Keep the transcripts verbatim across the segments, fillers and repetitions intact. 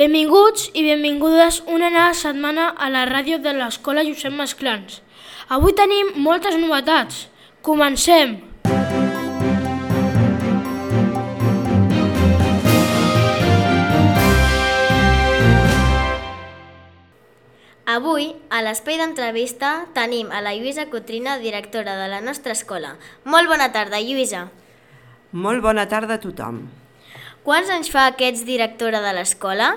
Benvinguts i benvingudes una nova setmana a la ràdio de l'Escola Josep Masclans. Avui tenim moltes novetats. Comencem! Avui, a l'espai d'entrevista, tenim a la Lluïsa Cotrina, directora de la nostra escola. Molt bona tarda, Lluïsa. Molt bona tarda a tothom. Quants anys fa que ets directora de l'escola?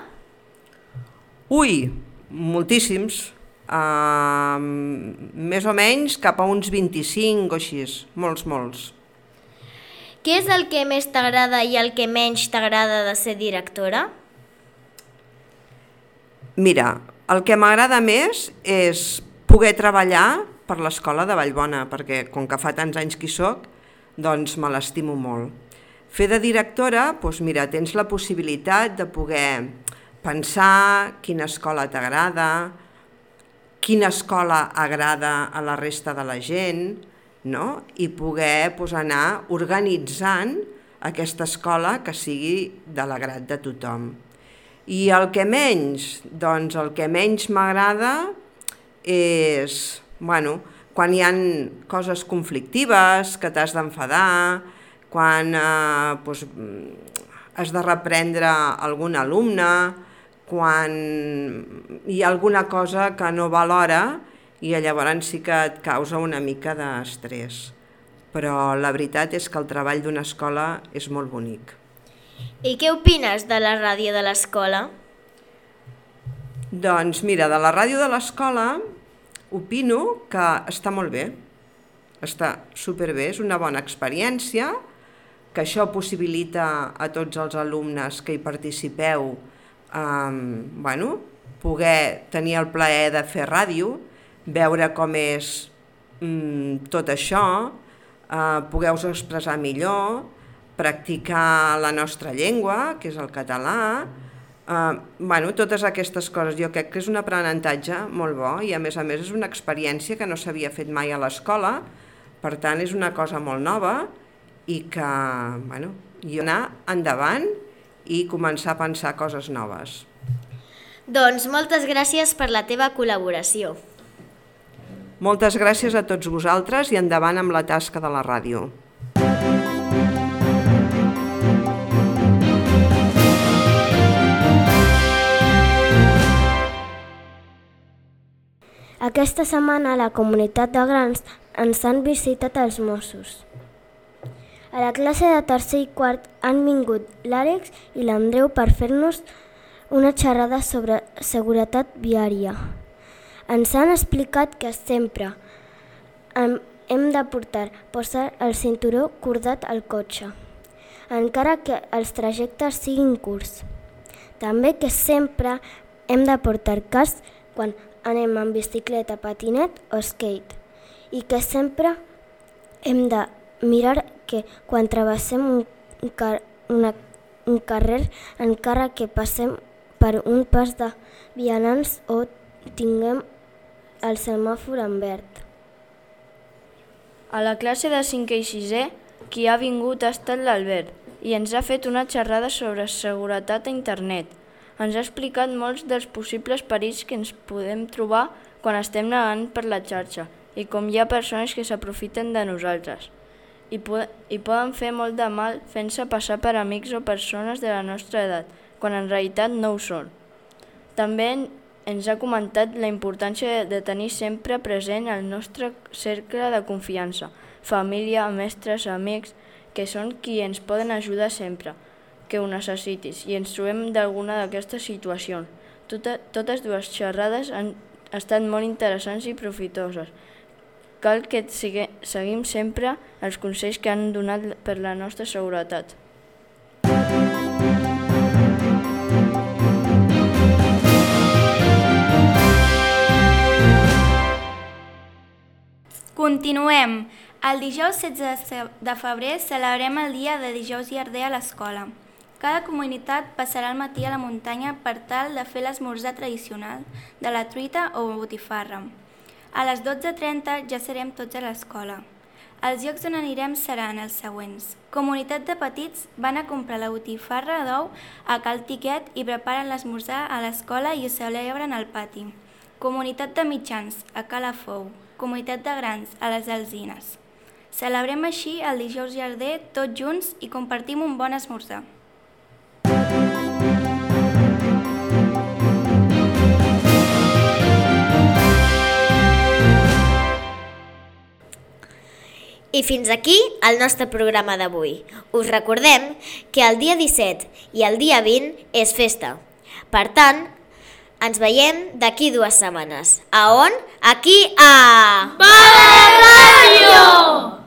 Ui, moltíssims. Uh, més o menys cap a uns vint-i-cinc o així. Molts, molts. Què és el que més t'agrada i el que menys t'agrada de ser directora? Mira, el que m'agrada més és poder treballar per l'escola de Vallbona, perquè com que fa tants anys que hi soc, doncs me l'estimo molt. Fer de directora, doncs mira, tens la possibilitat de poder pensar quina escola t'agrada, quina escola agrada a la resta de la gent, no? I poder doncs, anar organitzant aquesta escola que sigui de l'agrat de tothom. I el que menys, doncs el que menys m'agrada és, bueno, quan hi ha coses conflictives, que t'has d'enfadar, quan eh, doncs, has de reprendre algun alumne, quan hi ha alguna cosa que no va a l'hora i llavors sí que et causa una mica d'estrès. Però la veritat és que el treball d'una escola és molt bonic. I què opines de la ràdio de l'escola? Doncs mira, de la ràdio de l'escola opino que està molt bé, està superbé, és una bona experiència, que això possibilita a tots els alumnes que hi participeu eh, bueno, poder tenir el plaer de fer ràdio, veure com és mm, tot això, eh, poder-vos expressar millor, practicar la nostra llengua, que és el català, eh, bueno, totes aquestes coses. Jo crec que és un aprenentatge molt bo i a més a més és una experiència que no s'havia fet mai a l'escola, per tant és una cosa molt nova i que, bueno, jo anar endavant i començar a pensar coses noves. Doncs moltes gràcies per la teva col·laboració. Moltes gràcies a tots vosaltres i endavant amb la tasca de la ràdio. Aquesta setmana a la comunitat de Grans ens han visitat els Mossos. A la classe de tercer i quart han vingut l'Àlex i l'Andreu per fer-nos una xerrada sobre seguretat viària. Ens han explicat que sempre hem de portar posar el cinturó cordat al cotxe, encara que els trajectes siguin curts. També que sempre hem de portar casc quan anem en bicicleta, patinet o skate, i que sempre hem de mirar que quan travessem un, car una, un carrer, encara que passem per un pas de vianants o tinguem el semàfor en verd. A la classe de cinquè i sisè, qui ha vingut ha estat l'Albert i ens ha fet una xerrada sobre seguretat a internet. Ens ha explicat molts dels possibles perills que ens podem trobar quan estem navegant per la xarxa i com hi ha persones que s'aprofiten de nosaltres i, po i poden fer molt de mal fent-se passar per amics o persones de la nostra edat, quan en realitat no ho són. També ens ha comentat la importància de tenir sempre present el nostre cercle de confiança, família, mestres, amics, que són qui ens poden ajudar sempre que ho necessitis i ens trobem d'alguna d'aquestes situacions. Tota, totes dues xerrades han estat molt interessants i profitoses. Cal que sigue, seguim sempre els consells que han donat per la nostra seguretat. Continuem. El dijous setze de febrer celebrem el dia de Dijous Llarder a l'escola. Cada comunitat passarà el matí a la muntanya per tal de fer l'esmorzar tradicional de la truita o botifarra. A les dotze trenta ja serem tots a l'escola. Els llocs on anirem seran els següents. Comunitat de petits van a comprar la botifarra d'ou a Cal Tiquet i preparen l'esmorzar a l'escola i ho celebren al pati. Comunitat de mitjans a Cala Fou. Comunitat de grans a les Alzines. Celebrem així el dijous llarder tots junts i compartim un bon esmorzar. I fins aquí el nostre programa d'avui. Us recordem que el dia disset i el dia vint és festa. Per tant, ens veiem d'aquí dues setmanes. A on? Aquí a... Bala Ràdio!